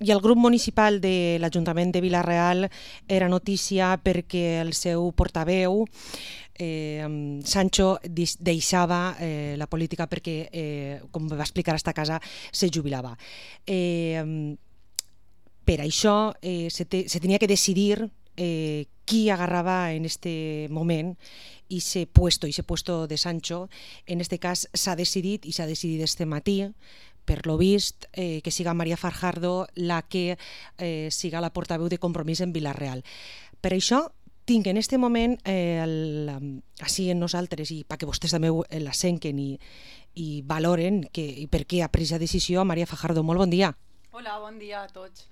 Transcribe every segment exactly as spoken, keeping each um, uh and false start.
I el grup municipal de l'Ajuntament de Vila-real era notícia perquè el seu portaveu, eh, Sancho, deixava eh, la política perquè, eh, com va explicar a esta casa, se jubilava. Eh, per això eh, se, te, se tenia que decidir eh, qui agarrava en este moment i ese puesto, ese puesto de Sancho. En este cas s'ha decidit, i s'ha decidit este matí, per lo vist, eh, que siga Maria Fajardo la que eh, siga la portaveu de Compromís en Vila-real. Per això tinc en este moment, eh, el, així en nosaltres, i perquè vostès també la senquen i, i valoren que, i per què ha pres la decisió, Maria Fajardo, molt bon dia. Hola, bon dia a tots.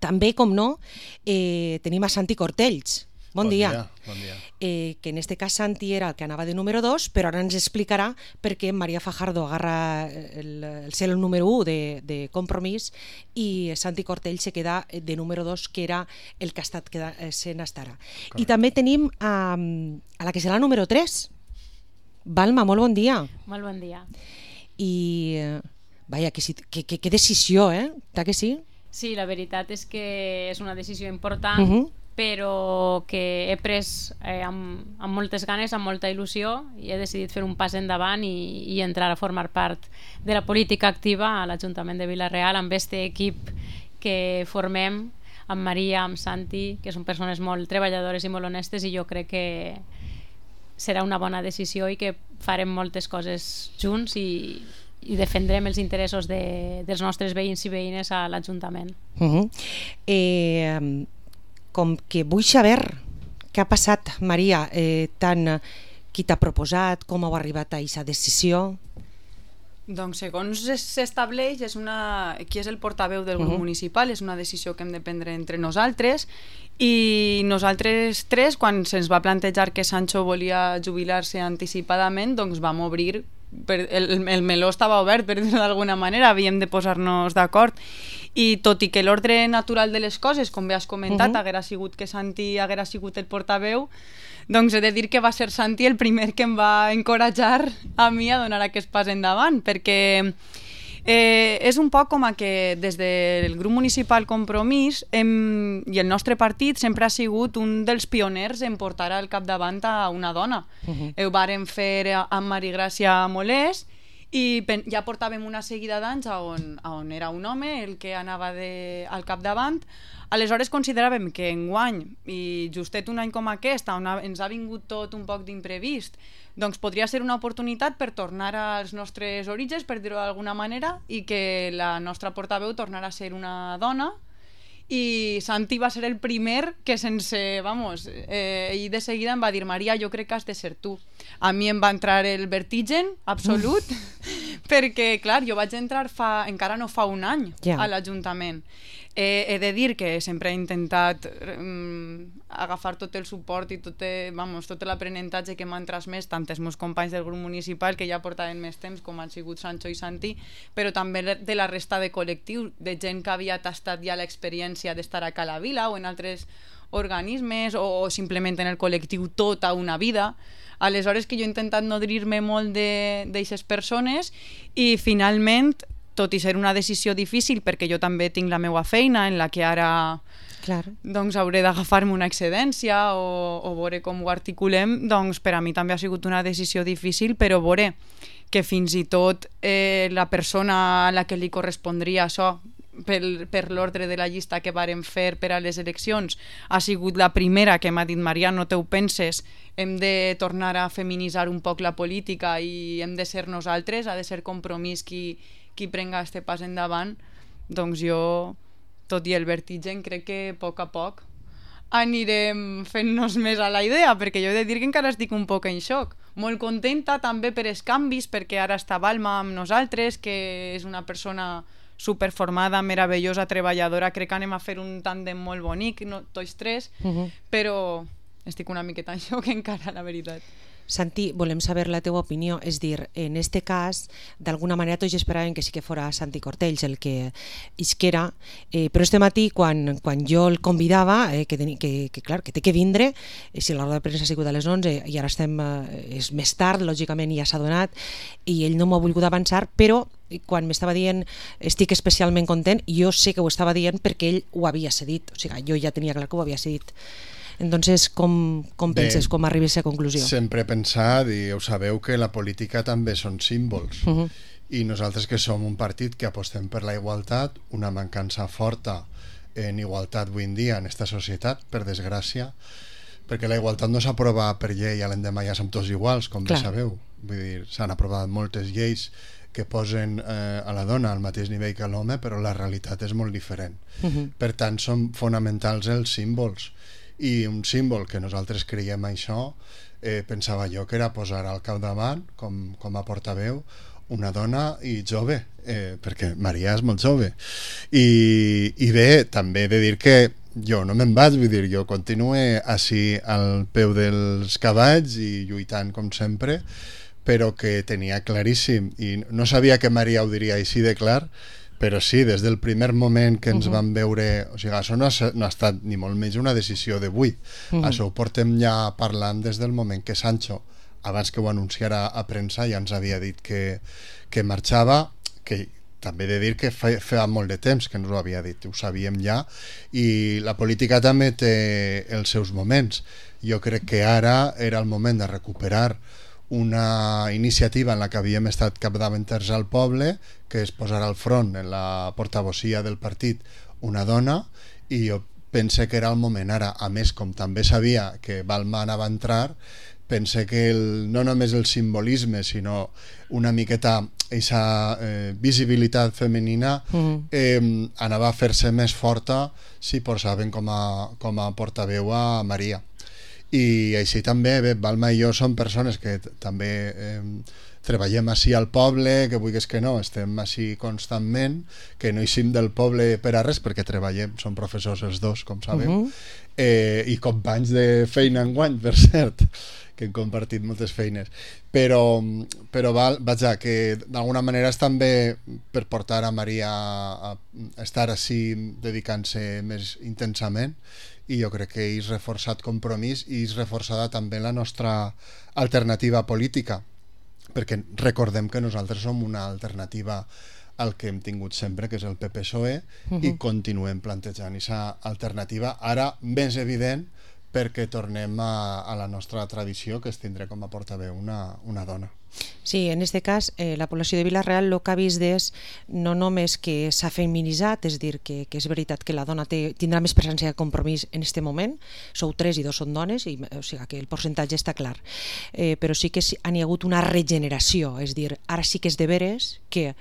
També, com no, eh, tenim a Santi Cortells. Bon, bon dia. dia. Bon dia. Eh, que en este cas Santi era el que anava de número dos, però ara ens explicarà per què Maria Fajardo agarra el, el ser el número u de, de Compromís i Santi Cortell se queda de número dos, que era el que ha estat queda, sent hasta ara. I també tenim a, a la que serà el número tres. Balma, molt bon dia. Molt bon dia. I, vaja, que, que, que, que decisió, eh? Ta que sí? Sí, la veritat és que és una decisió important, Uh-huh. però que he pres eh, amb, amb moltes ganes, amb molta il·lusió, i he decidit fer un pas endavant i, i entrar a formar part de la política activa a l'Ajuntament de Vila-real amb este equip que formem, amb Maria, amb Santi, que són persones molt treballadores i molt honestes, i jo crec que serà una bona decisió i que farem moltes coses junts i, i defendrem els interessos de, dels nostres veïns i veïnes a l'Ajuntament. Uh-huh. Eh... Com que vull saber què ha passat, Maria, eh, tant qui t'ha proposat, com heu arribat a aquesta decisió? Doncs segons s'estableix, és una... qui és el portaveu del grup uh-huh. municipal, és una decisió que hem de prendre entre nosaltres, i nosaltres tres, quan se'ns va plantejar que Sancho volia jubilar-se anticipadament, doncs vam obrir, per, el, el meló estava obert, per dir-ho d'alguna manera, havíem de posar-nos d'acord, i tot i que l'ordre natural de les coses, com bé has comentat, uh-huh. haguera sigut que Santi haguera sigut el portaveu, doncs he de dir que va ser Santi el primer que em va encoratjar a mi a donar aquest pas endavant, perquè eh, és un poc com a que des del grup municipal Compromís hem, i el nostre partit sempre ha sigut un dels pioners en portar al capdavant a una dona. Uh-huh. Ho vàrem fer amb Marigràcia Molés, i ja portàvem una seguida d'anys on, on era un home el que anava de, al capdavant. Aleshores consideràvem que enguany, i justet un any com aquest, on ens ha vingut tot un poc d'imprevist, doncs podria ser una oportunitat per tornar als nostres orígens, per dir-ho d'alguna manera, i que la nostra portaveu tornara a ser una dona. I Santi va ser el primer que sense, vamos, eh, i de seguida em va dir: Maria, jo crec que has de ser tu. A mi em va entrar el vertigen absolut, perquè, clar, jo vaig entrar fa, encara no fa un any yeah. a l'Ajuntament. Eh, he de dir que sempre he intentat um, agafar tot el suport i tot, vamos, tot l'aprenentatge que m'han transmès tant els meus companys del grup municipal, que ja portaven més temps, com han sigut Sancho i Santi, però també de la resta de col·lectiu, de gent que havia tastat ja l'experiència d'estar a Cala Vila o en altres organismes, o, o simplement en el col·lectiu tota una vida. Aleshores que jo he intentat nodrir-me molt d'aquestes persones, i finalment, tot i ser una decisió difícil, perquè jo també tinc la meva feina en la que ara Clar. doncs hauré d'agafar-me una excedència o, o veure com ho articulem, doncs per a mi també ha sigut una decisió difícil, però veure que fins i tot eh, la persona a la que li correspondria això per, per l'ordre de la llista que vàrem fer per a les eleccions ha sigut la primera que m'ha dit: Maria, no te ho penses, hem de tornar a feminitzar un poc la política i hem de ser nosaltres, ha de ser Compromís qui qui prenga este pas endavant. Doncs jo, tot i el vertigen, crec que a poc a poc anirem fent-nos més a la idea, perquè jo he de dir que encara estic un poc en xoc. Molt contenta també per els canvis, perquè ara està Balma amb nosaltres, que és una persona superformada, meravellosa, treballadora. Crec que anem a fer un tàndem molt bonic, no, tots tres, uh-huh. però estic una miqueta en xoc encara, la veritat. Santi, volem saber la teua opinió, és dir, en este cas, d'alguna manera tots esperaven que sí que fora Santi Cortells el que isquera, eh, però este matí, quan, quan jo el convidava, eh, que, teni, que, que, clar, que té que vindre, eh, si la roda de premsa ha sigut a les onze i ara estem, eh, és més tard, lògicament ja s'ha donat, i ell no m'ha volgut avançar, però quan m'estava dient estic especialment content, jo sé que ho estava dient perquè ell ho havia cedit, o sigui, jo ja tenia clar que ho havia cedit. Entonces, com, com penses, com arribes a conclusió? Sempre he pensat, i ho sabeu, que la política també són símbols. Uh -huh. I nosaltres que som un partit que apostem per la igualtat, una mancança forta en igualtat avui en dia en aquesta societat, per desgràcia, perquè la igualtat no s'aprova per llei a l'endemà ja som tots iguals, com bé sabeu. Vull dir, s'han aprovat moltes lleis que posen eh, a la dona al mateix nivell que l'home, però la realitat és molt diferent. Uh -huh. Per tant, són fonamentals els símbols. I un símbol que nosaltres creiem això, eh, pensava jo que era posar al capdavant, com, com a portaveu, una dona i jove, eh, perquè Maria és molt jove. I, i bé, també he de dir que jo no me'n vaig, vull dir, jo continuo així al peu dels cavalls i lluitant com sempre, però que tenia claríssim, i no sabia que Maria ho diria així de clar, però sí, des del primer moment que ens uh -huh. vam veure, o sigui, això no ha, no ha estat ni molt menys una decisió d'avui, uh -huh. això ho portem ja parlant des del moment que Sancho, abans que ho anunciara a premsa, ja ens havia dit que, que marxava, que també he de dir que fa, fa molt de temps que ens ho havia dit, ho sabíem ja, i la política també té els seus moments. Jo crec que ara era el moment de recuperar una iniciativa en la que havíem estat capdavanters al poble, que és posar al front en la portavocia del partit una dona, i jo pense que era el moment ara. A més, com també sabia que Balma anava a entrar, pense que el, no només el simbolisme, sinó una miqueta aquesta eh, visibilitat femenina eh, anava a fer-se més forta si posaven com a, com a portaveu a Maria. I així també, bé, Balma i jo som persones que també eh, treballem així al poble, que vulguis que no, estem així constantment, que no eixim del poble per a res, perquè treballem, som professors els dos, com sabeu, uh -huh. eh, i companys de feina enguany, per cert, que hem compartit moltes feines, però, però val, vaja, que d'alguna manera és també per portar a Maria a estar així dedicant-se més intensament, i jo crec que és reforçat compromís i és reforçada també la nostra alternativa política, perquè recordem que nosaltres som una alternativa al que hem tingut sempre, que és el P P S O E, uh -huh. i continuem plantejant aquesta alternativa, ara més evident perquè tornem a, a la nostra tradició, que és tindre com a portaveu una, una dona. Sí, en aquest cas, eh, la població de Vila-real el que ha vist és no només que s'ha feminitzat, és dir, que, que és veritat que la dona té, tindrà més presència de compromís en aquest moment, sou tres i dos són dones, i, o sigui que el percentatge està clar, eh, però sí que han hi ha hagut una regeneració, és dir, ara sí que és de veres que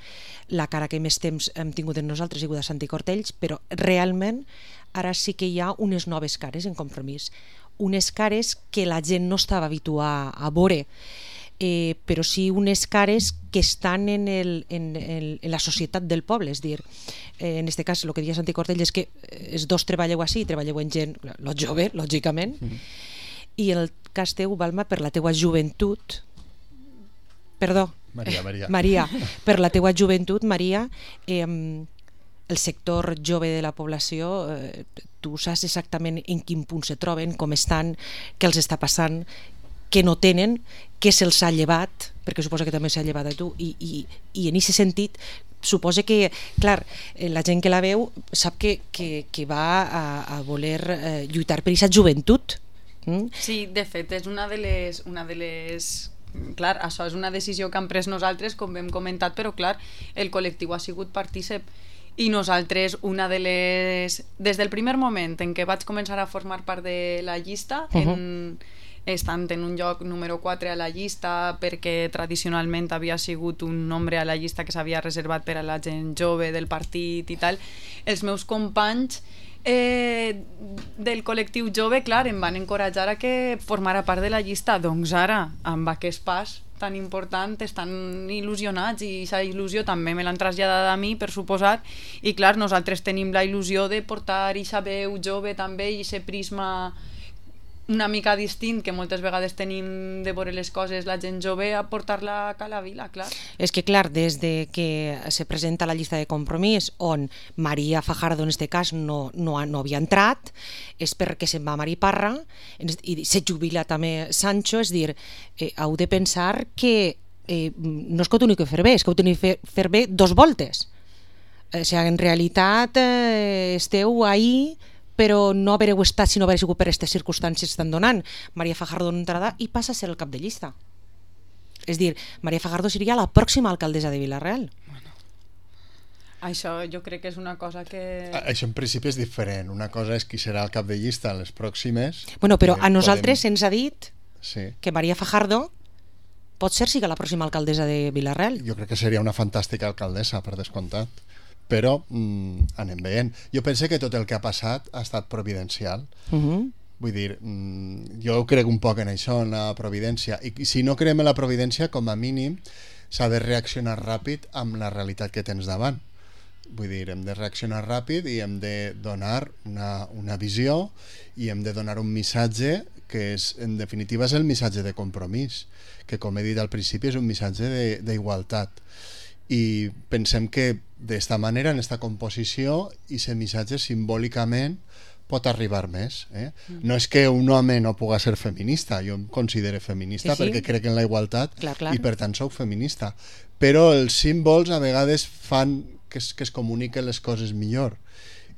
la cara que més temps hem tingut en nosaltres ha sigut a Santi Cortells, però realment ara sí que hi ha unes noves cares en compromís, unes cares que la gent no estava habituada a veure, Eh, però sí unes cares que estan en, el, en, el, en la societat del poble, és dir, eh, en aquest cas el que deia Santi Cortell és que els dos treballeu així, treballeu en gent lo jove, lògicament, mm -hmm. i en el cas teu, Balma, per la teua joventut, perdó, Maria, Maria, Maria per la teua joventut, Maria, eh, el sector jove de la població, eh, tu saps exactament en quin punt se troben, com estan, què els està passant, que no tenen, que se'ls ha llevat, perquè suposa que també s'ha llevat a tu, i, i, i en aquest sentit suposa que, clar, la gent que la veu sap que, que, que va a, a voler eh, lluitar per aquesta joventut. Mm? Sí, de fet, és una de les... Una de les... Clar, això és una decisió que hem pres nosaltres, com hem comentat, però clar, el col·lectiu ha sigut partícip, i nosaltres, una de les... Des del primer moment en què vaig començar a formar part de la llista, uh-huh. en... estant en un lloc número quatre a la llista, perquè tradicionalment havia sigut un nombre a la llista que s'havia reservat per a la gent jove del partit i tal, els meus companys eh, del col·lectiu jove, clar, em van encoratjar a que formara part de la llista. Doncs ara, amb aquest pas tan important, estan il·lusionats, i aquesta il·lusió també me l'han traslladat a mi, per suposat, i clar, nosaltres tenim la il·lusió de portar aquesta veu jove també, i aquest prisma una mica distint que moltes vegades tenim de veure les coses la gent jove a portar-la a la vila, clar. És que clar, des de que se presenta la llista de compromís on Maria Fajardo en este cas no, no, no havia entrat, és perquè se'n va a Mari Parra i se jubila també Sancho, és dir, eh, heu de pensar que eh, no és que ho teniu que fer bé, és que ho teniu que fer bé dos voltes. O sigui, en realitat eh, esteu ahí però no haver estat si no haver sigut per aquestes circumstàncies que estan donant. Maria Fajardo no entrarà i passa a ser el cap de llista. És dir, Maria Fajardo seria la pròxima alcaldessa de Vila-real. Bueno, això jo crec que és una cosa que... Això en principi és diferent. Una cosa és qui serà el cap de llista en les pròximes... Bueno, però a nosaltres podem... se'ns ha dit sí. que Maria Fajardo pot ser siga la pròxima alcaldessa de Vila-real. Jo crec que seria una fantàstica alcaldessa, per descomptat. Però mm, anem veient. Jo penso que tot el que ha passat ha estat providencial. Uh-huh. Vull dir, mm, jo crec un poc en això, en la providència. I, I si no creiem en la providència, com a mínim, s'ha de reaccionar ràpid amb la realitat que tens davant. Vull dir, hem de reaccionar ràpid i hem de donar una, una visió i hem de donar un missatge que és, en definitiva és el missatge de compromís, que com he dit al principi és un missatge d'igualtat. I pensem que d'esta manera, en esta composició, i aquest missatge simbòlicament pot arribar més. Eh? Mm. No és que un home no puga ser feminista, jo em considero feminista sí, sí. perquè crec en la igualtat clar, clar. I per tant soc feminista. Però els símbols a vegades fan que es, que es comuniquen les coses millor.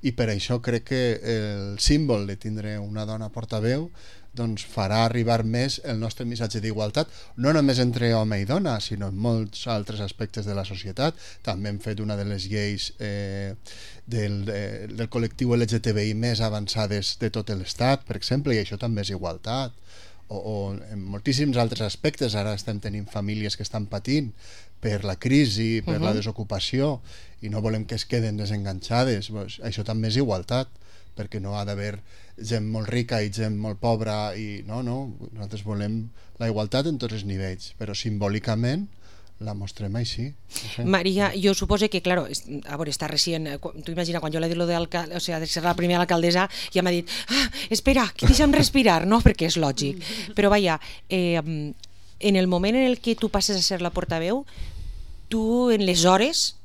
I per això crec que el símbol de tindre una dona portaveu doncs farà arribar més el nostre missatge d'igualtat, no només entre home i dona, sinó en molts altres aspectes de la societat. També hem fet una de les lleis eh, del, eh, del col·lectiu L G T B I més avançades de tot l'Estat, per exemple, i això també és igualtat. O, o en moltíssims altres aspectes. Ara estem tenint famílies que estan patint per la crisi, per uh-huh. la desocupació, i no volem que es queden desenganxades. Pues, això també és igualtat, perquè no ha d'haver gent molt rica i gent molt pobra i no, no, nosaltres volem la igualtat en tots els nivells, però simbòlicament la mostrem així. Okay. Maria, jo suposo que, claro, a veure, està recient, tu imagina, quan jo l'he dit lo de, o sea, de ser la primera alcaldessa, ja m'ha dit, ah, espera, que deixa'm respirar, no? Perquè és lògic. Però vaja, eh, en el moment en el que tu passes a ser la portaveu, tu en les hores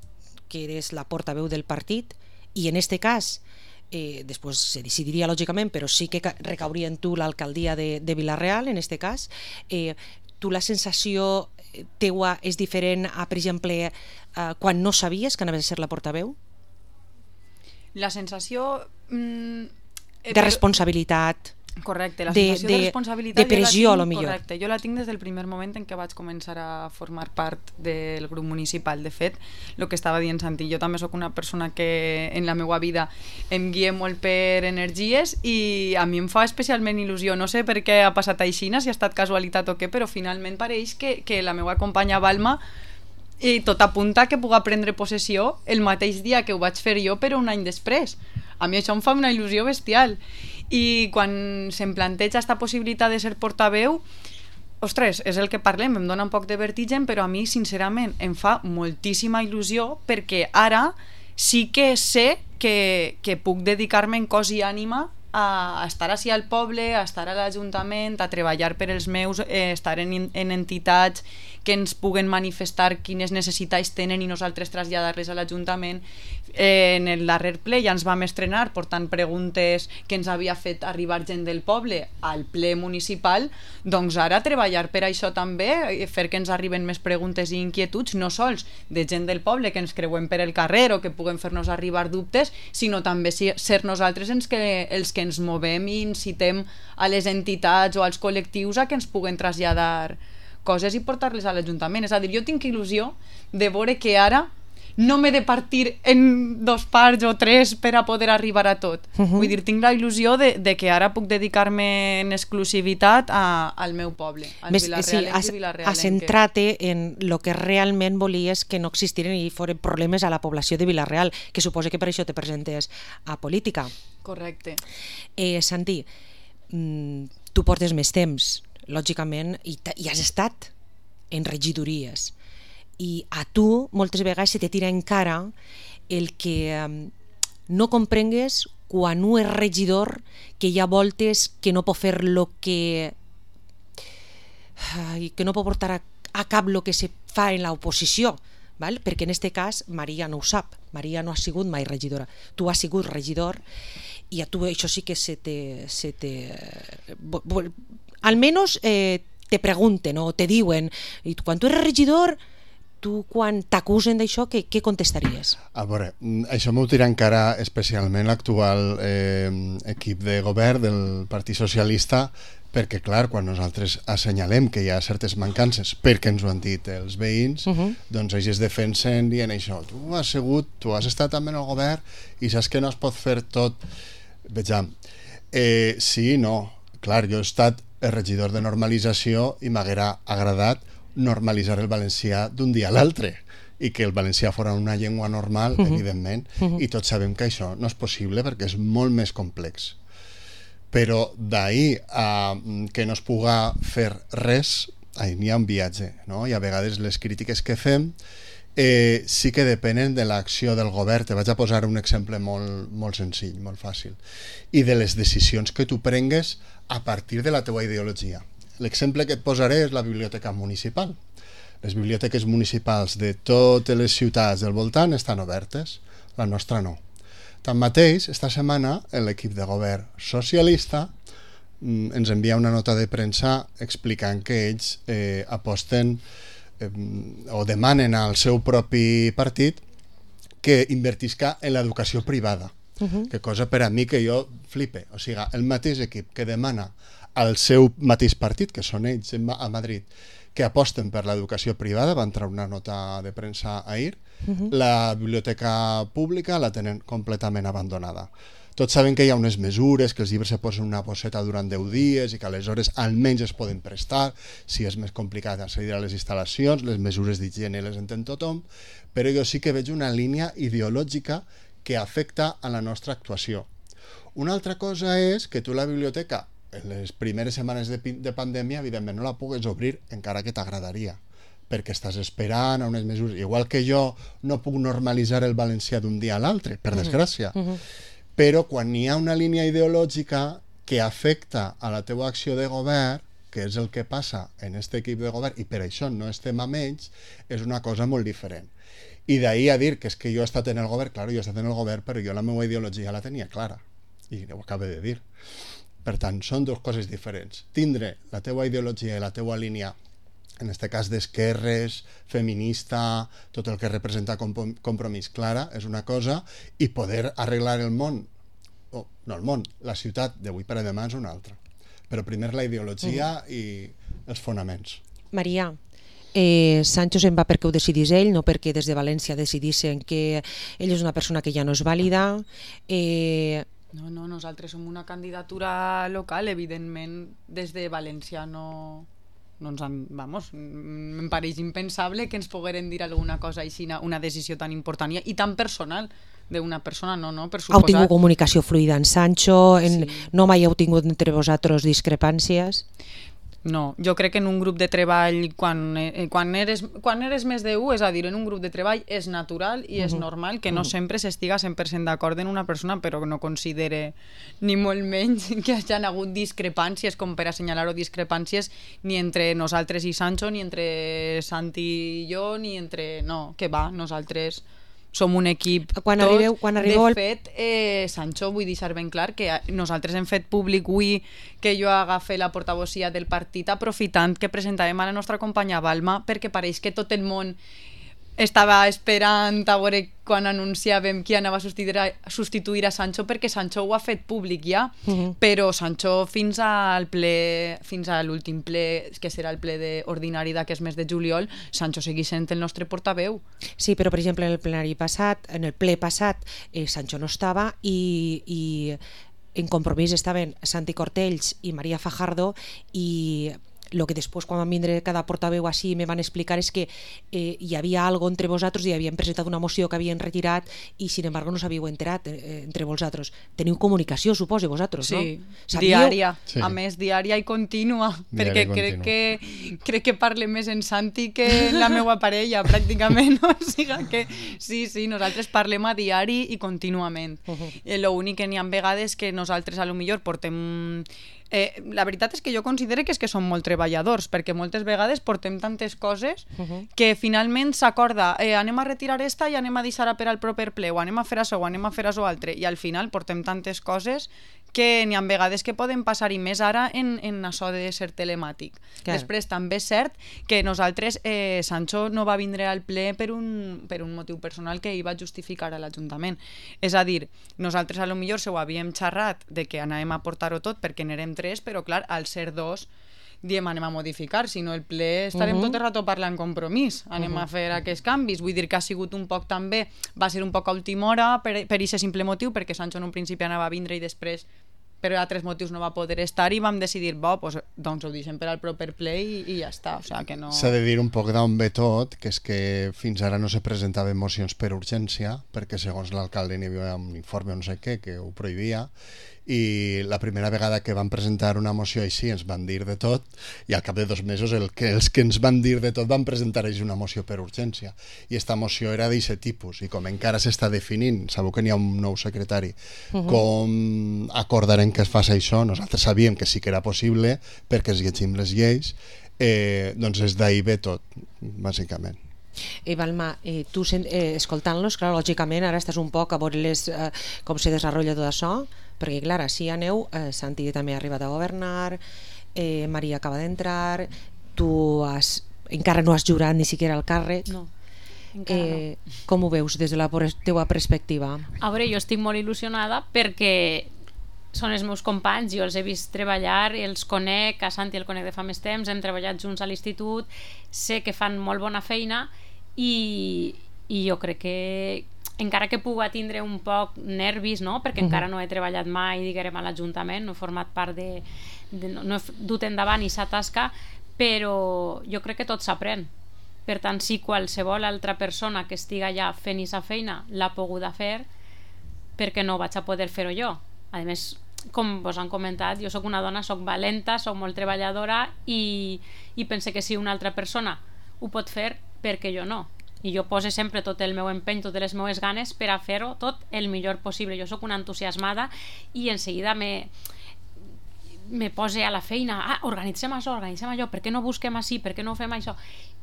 que eres la portaveu del partit, i en este cas Eh, després se decidiria lògicament, però sí que recauria en tu l'alcaldia de, de Vila-real en este cas, eh, tu la sensació teua és diferent a, per exemple, eh, quan no sabies que anaves a ser la portaveu? La sensació mm, eh, de responsabilitat, correcte, la sensació de, de, de responsabilitat de pressió, jo a lo millor. Correcte, jo la tinc des del primer moment en què vaig començar a formar part del grup municipal. De fet, el que estava dient Santi, jo també sóc una persona que en la meva vida em guia molt per energies i a mi em fa especialment il·lusió. No sé per què ha passat així, si ha estat casualitat o què, però finalment pareix que, que la meva companya Balma i tot apunta que puga prendre possessió el mateix dia que ho vaig fer jo, però un any després. A mi això em fa una il·lusió bestial. I quan se'm planteja aquesta possibilitat de ser portaveu, ostres, és el que parlem, em dona un poc de vertigen, però a mi sincerament em fa moltíssima il·lusió perquè ara sí que sé que, que puc dedicar-me en cos i ànima a estar així al poble, a estar a l'Ajuntament, a treballar per els meus, eh, estar en, en entitats que ens puguen manifestar quines necessitats tenen i nosaltres traslladar-les a l'Ajuntament. Eh, en el darrer ple ja ens vam estrenar portant preguntes que ens havia fet arribar gent del poble al ple municipal, doncs ara treballar per això també, fer que ens arriben més preguntes i inquietuds, no sols de gent del poble que ens creuem per el carrer o que puguen fer-nos arribar dubtes, sinó també ser nosaltres els que, els que ens movem i incitem a les entitats o als col·lectius a que ens puguen traslladar coses i portar-les a l'Ajuntament. És a dir, jo tinc il·lusió de veure que ara no m'he de partir en dos parts o tres per a poder arribar a tot. Uh-huh. Vull dir, tinc la il·lusió de, de que ara puc dedicar-me en exclusivitat a, al meu poble, al Vila-real sí, i Vila-real. Has centrat-te en el que realment volies que no existiren i foren problemes a la població de Vila-real, que suposo que per això te presentes a política. Correcte. Eh, Santi, tu portes més temps, lògicament, i, i has estat en regidories. I a tu moltes vegades se te tira en cara el que um, no comprengues quan un és regidor que hi ha voltes que no pot fer lo que... Ai, que no pot portar a, a cap lo que se fa en l'oposició, val? Perquè en aquest cas Maria no ho sap, Maria no ha sigut mai regidora, tu has sigut regidor i a tu això sí que se te... Se te almenys eh, te pregunten o te diuen, i quan tu eres regidor, tu quan t'acusen d'això, què, què contestaries? A veure, això m'ho tira encara especialment l'actual eh, equip de govern del Partit Socialista, perquè clar, quan nosaltres assenyalem que hi ha certes mancances perquè ens ho han dit els veïns, uh -huh. doncs ells es defensen dient això, tu has sigut, tu has estat també en el govern i saps que no es pot fer tot. Vejam, eh, sí, no, clar, jo he estat el regidor de normalització i m'haguera agradat normalitzar el valencià d'un dia a l'altre i que el valencià fora una llengua normal, uh -huh. evidentment, uh -huh. i tots sabem que això no és possible perquè és molt més complex. Però d'ahir a que no es puga fer res, ahir n'hi ha un viatge, no? I a vegades les crítiques que fem eh, sí que depenen de l'acció del govern. Te vaig a posar un exemple molt, molt senzill, molt fàcil, i de les decisions que tu prengues a partir de la teua ideologia. L'exemple que et posaré és la biblioteca municipal. Les biblioteques municipals de totes les ciutats del voltant estan obertes, la nostra no. Tanmateix, esta setmana l'equip de govern socialista mm, ens envia una nota de premsa explicant que ells eh, aposten eh, o demanen al seu propi partit que invertisca en l'educació privada. Uh-huh. Que cosa per a mi que jo flipe. O sigui, el mateix equip que demana al seu mateix partit, que són ells a Madrid, que aposten per l'educació privada, va entrar una nota de premsa ahir, uh-huh. la biblioteca pública la tenen completament abandonada. Tots saben que hi ha unes mesures, que els llibres se posen una bosseta durant deu dies i que aleshores almenys es poden prestar, si és més complicat accedir a les instal·lacions, les mesures d'higiene les entén tothom, però jo sí que veig una línia ideològica que afecta a la nostra actuació. Una altra cosa és que tu la biblioteca en les primeres setmanes de, de pandèmia, evidentment, no la pugues obrir encara que t'agradaria, perquè estàs esperant a unes mesures. Igual que jo no puc normalitzar el valencià d'un dia a l'altre, per desgràcia. Uh -huh. Però quan hi ha una línia ideològica que afecta a la teva acció de govern, que és el que passa en aquest equip de govern, i per això no estem amb ells, és una cosa molt diferent. I d'ahir a dir que és que jo he estat en el govern, clar, jo he estat en el govern, però jo la meva ideologia la tenia clara, i ho acabo de dir. Per tant, són dues coses diferents. Tindre la teua ideologia i la teua línia, en aquest cas d'esquerres, feminista, tot el que representa compromís clara, és una cosa, i poder arreglar el món, oh, no el món, la ciutat d'avui per a demà és una altra. Però primer la ideologia mm. i els fonaments. Maria, eh, Sancho se'n va perquè ho decidís ell, no perquè des de València decidissin que ell és una persona que ja no és vàlida. Eh, No, no, nosaltres som una candidatura local, evidentment des de València no, no ens han, vamos, em pareix impensable que ens pogueren dir alguna cosa així, una decisió tan important i, i tan personal d'una persona, no, no, per suposat. Heu tingut comunicació fluida en Sancho, en, sí. No mai heu tingut entre vosaltres discrepàncies? No, jo crec que en un grup de treball, quan, eh, quan, eres, quan eres més d'un, és a dir, en un grup de treball és natural i és uh -huh. normal que no uh -huh. sempre s'estiga cent per cent d'acord en una persona, però que no considere ni molt menys que hagin hagut discrepàncies, com per assenyalar-ho, discrepàncies ni entre nosaltres i Sancho, ni entre Santi i jo, ni entre... No, que va, nosaltres... som un equip quan tots. Arribeu, quan arribeu de al... fet, eh, Sancho, vull deixar ben clar que nosaltres hem fet públic avui que jo agafe la portavocía del partit aprofitant que presentàvem a la nostra companya Balma, perquè pareix que tot el món estava esperant a veure quan anunciàvem qui anava a substituir a, substituir a Sancho, perquè Sancho ho ha fet públic ja, uh -huh. però Sancho fins al ple, fins a l'últim ple, que serà el ple de, ordinari d'aquest mes de juliol, Sancho segueix sent el nostre portaveu. Sí, però per exemple en el plenari passat, en el ple passat, eh, Sancho no estava i, i en Compromís estaven Santi Cortells i Maria Fajardo i el que després quan van vindre cada portaveu així me van explicar és que eh, hi havia algo entre vosaltres i havien presentat una moció que havien retirat i sin embargo no s'havíeu enterat eh, entre vosaltres. Teniu comunicació, suposo, vosaltres, sí, no? Sí, diària, sí. A més diària i contínua, Diària perquè i crec contínua. que, crec que parle més en Santi que en la meva parella, pràcticament, o sigui que sí, sí, nosaltres parlem a diari i contínuament. Uh -huh. eh, L'únic que n'hi ha vegades que nosaltres a lo millor portem... Eh, la veritat és que jo considero que és que som molt treballadors, perquè moltes vegades portem tantes coses uh -huh. que finalment s'acorda eh, anem a retirar esta i anem a deixar per al proper ple, o anem a fer això o anem a fer això altre, i al final portem tantes coses que n'hi ha vegades que poden passar, i més ara en, en això de ser telemàtic. Clar. Després també és cert que nosaltres, eh, Sancho no va vindre al ple per un, per un motiu personal que ell va justificar a l'Ajuntament. És a dir, nosaltres a lo millor se ho havíem xerrat de que anàvem a portar-ho tot perquè n'érem tres, però clar, al ser dos diem anem a modificar, si no el ple estarem uh -huh. tot el rato parlant compromís, anem uh -huh. a fer aquests canvis, vull dir que ha sigut un poc també, va ser un poc a última hora per, per aquest simple motiu, perquè Sancho en un principi anava a vindre i després per altres motius no va poder estar i vam decidir, bo, pues, doncs ho deixem per al proper ple i, i ja està, o sigui que no... S'ha de dir un poc d'on ve tot, que és que fins ara no se presentaven mocions per urgència, perquè segons l'alcalde n'hi havia un informe o no sé què que ho prohibia, i la primera vegada que van presentar una moció així ens van dir de tot, i al cap de dos mesos el que, els que ens van dir de tot van presentar així una moció per urgència, i esta moció era d'aquest tipus, i com encara s'està definint, sabeu que n'hi ha un nou secretari, uh -huh. com acordarem que es faci això, nosaltres sabíem que sí que era possible perquè es llegim les lleis, eh, doncs és d'ahir ve tot, bàsicament. Eh, Balma, eh, tu eh, escoltant-los, clar, lògicament ara estàs un poc a veure les, eh, com se desenvolupa tot això, perquè clar, així aneu, eh, Santi també ha arribat a governar, eh, Maria acaba d'entrar, tu has, encara no has jurat ni siquiera el càrrec. No, encara eh, no. Com ho veus des de la teva perspectiva? A veure, jo estic molt il·lusionada perquè són els meus companys, jo els he vist treballar, els conec, a Santi el conec de fa més temps, hem treballat junts a l'institut, sé que fan molt bona feina i, i jo crec que encara que puga tindre un poc nervis, no? Perquè uh-huh. encara no he treballat mai, diguem, a l'Ajuntament, no he format part de, de no, no he dut endavant i s'ha tasca, però jo crec que tot s'aprèn. Per tant, si qualsevol altra persona que estiga allà fent aquesta feina l'ha poguda fer, perquè no vaig a poder fer-ho jo? A més, com vos han comentat, jo sóc una dona, sóc valenta, sóc molt treballadora i, i pense que si una altra persona ho pot fer, perquè jo no. I jo pose sempre tot el meu empeny, totes les meves ganes per a fer-ho tot el millor possible. Jo sóc una entusiasmada i en seguida me, me pose a la feina, ah, organitzem això, organitzem allò, per què no busquem així, per què no fem això?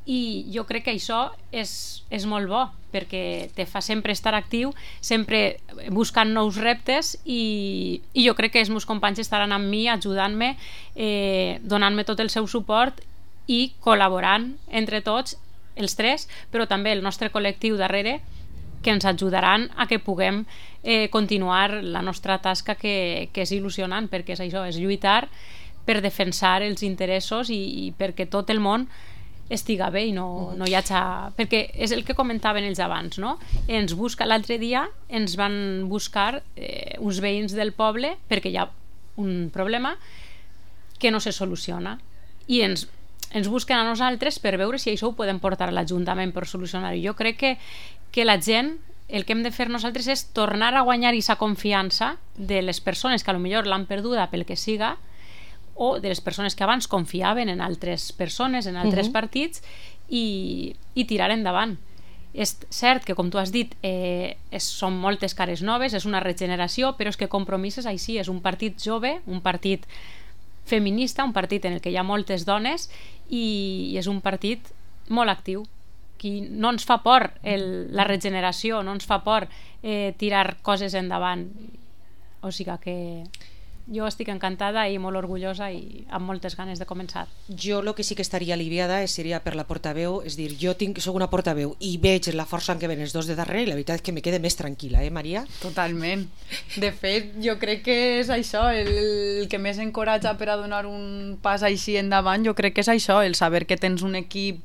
I jo crec que això és, és molt bo, perquè te fa sempre estar actiu, sempre buscant nous reptes i, i jo crec que els meus companys estaran amb mi, ajudant-me, eh, donant-me tot el seu suport i col·laborant entre tots els tres, però també el nostre col·lectiu darrere, que ens ajudaran a que puguem eh, continuar la nostra tasca, que, que és il·lusionant, perquè és això, és lluitar per defensar els interessos i, i perquè tot el món estiga bé i no, no hi hagi... Perquè és el que comentaven ells abans, no? Ens busca, l'altre dia ens van buscar eh, uns veïns del poble perquè hi ha un problema que no se soluciona i ens ens busquen a nosaltres per veure si això ho podem portar a l'Ajuntament per solucionar-ho. Jo crec que, que la gent, el que hem de fer nosaltres és tornar a guanyar aquesta confiança de les persones que a lo millor l'han perduda pel que siga, o de les persones que abans confiaven en altres persones, en altres uh-huh. partits, i, i tirar endavant. És cert que, com tu has dit, eh, és, són moltes cares noves, és una regeneració, però és que Compromís és així, és un partit jove, un partit feminista, un partit en el que hi ha moltes dones i, i és un partit molt actiu. Qui no ens fa por el, la regeneració, no ens fa por eh, tirar coses endavant. O sigui que jo estic encantada i molt orgullosa i amb moltes ganes de començar. Jo el que sí que estaria aliviada seria per la portaveu, és dir, jo tinc, soc una portaveu i veig la força en què ven els dos de darrere i la veritat és que me quede més tranquil·la, eh, Maria? Totalment. De fet, jo crec que és això, el, el que més encoratja per a donar un pas així endavant, jo crec que és això, el saber que tens un equip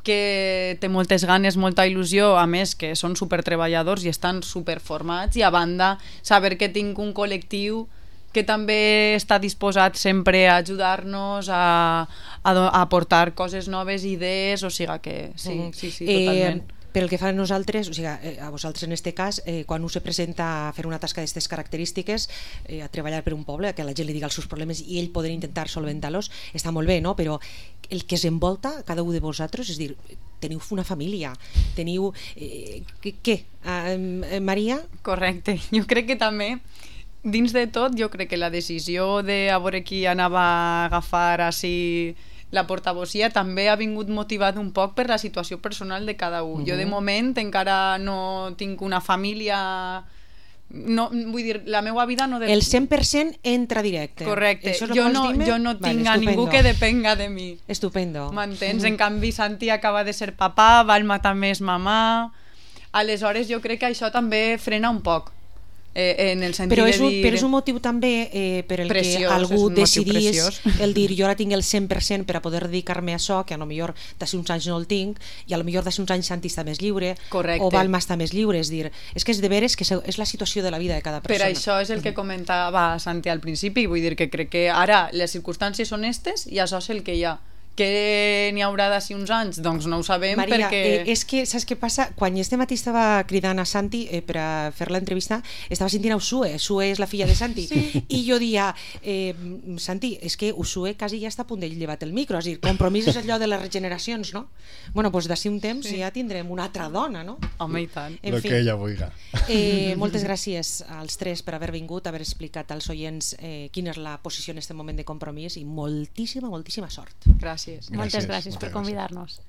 que té moltes ganes, molta il·lusió, a més que són supertreballadors i estan superformats, i a banda saber que tinc un col·lectiu que també està disposat sempre a ajudar-nos, a, a, a aportar coses noves, idees, o sigui que sí, mm. sí, sí, totalment. Eh, pel que fa a nosaltres, o sigui, a vosaltres en este cas, eh, quan us se presenta a fer una tasca d'aquestes característiques, eh, a treballar per un poble, que la gent li diga els seus problemes i ell poder intentar solventar-los, està molt bé, no? Però el que es envolta cada un de vosaltres, és dir, teniu una família, teniu... Eh, què? Eh, Maria? Correcte, jo crec que també dins de tot, jo crec que la decisió de a veure qui anava a agafar així la portavocia també ha vingut motivat un poc per la situació personal de cada un. Uh-huh. Jo de moment encara no tinc una família... No, vull dir, la meva vida no... De... El cent per cent entra directe. Correcte. Jo no, jo no tinc vale, a ningú que depenga de mi. Estupendo. M'entens? Uh-huh. En canvi, Santi acaba de ser papà, Valma també és mamà... Aleshores, jo crec que això també frena un poc. Eh, en el sentit però, és un, de dir... però és un motiu també eh, per el preciós, que algú decidís el dir jo ara tinc el cent per cent per a poder dedicar-me a això, que a lo millor d'ací uns anys no el tinc i a lo millor d'ací uns anys Santi està més lliure. Correcte. O Valma està més lliure, és dir, és que és de veres que és la situació de la vida de cada persona. Per això és el que comentava Santi al principi, vull dir que crec que ara les circumstàncies són estes i això és el que hi ha. Que n'hi haurà d'ací uns anys? Doncs no ho sabem. Maria, perquè... eh, és que saps què passa? Quan este matí estava cridant a Santi eh, per a fer l'entrevista, estava sentint a Usue. Usue és la filla de Santi. Sí. I jo dia, eh, Santi, és que Usue quasi ja està a punt de llevar el micro, és a dir, compromís és allò de les regeneracions, no? Bueno, doncs d'ací un temps sí. ja tindrem una altra dona, no? Home, i tant. En Lo fi, que ella vulgui. Eh, moltes gràcies als tres per haver vingut, haver explicat als oients eh, quina és la posició en aquest moment de compromís i moltíssima, moltíssima sort. Gràcies. Moltes gràcies, gràcies per convidar-nos.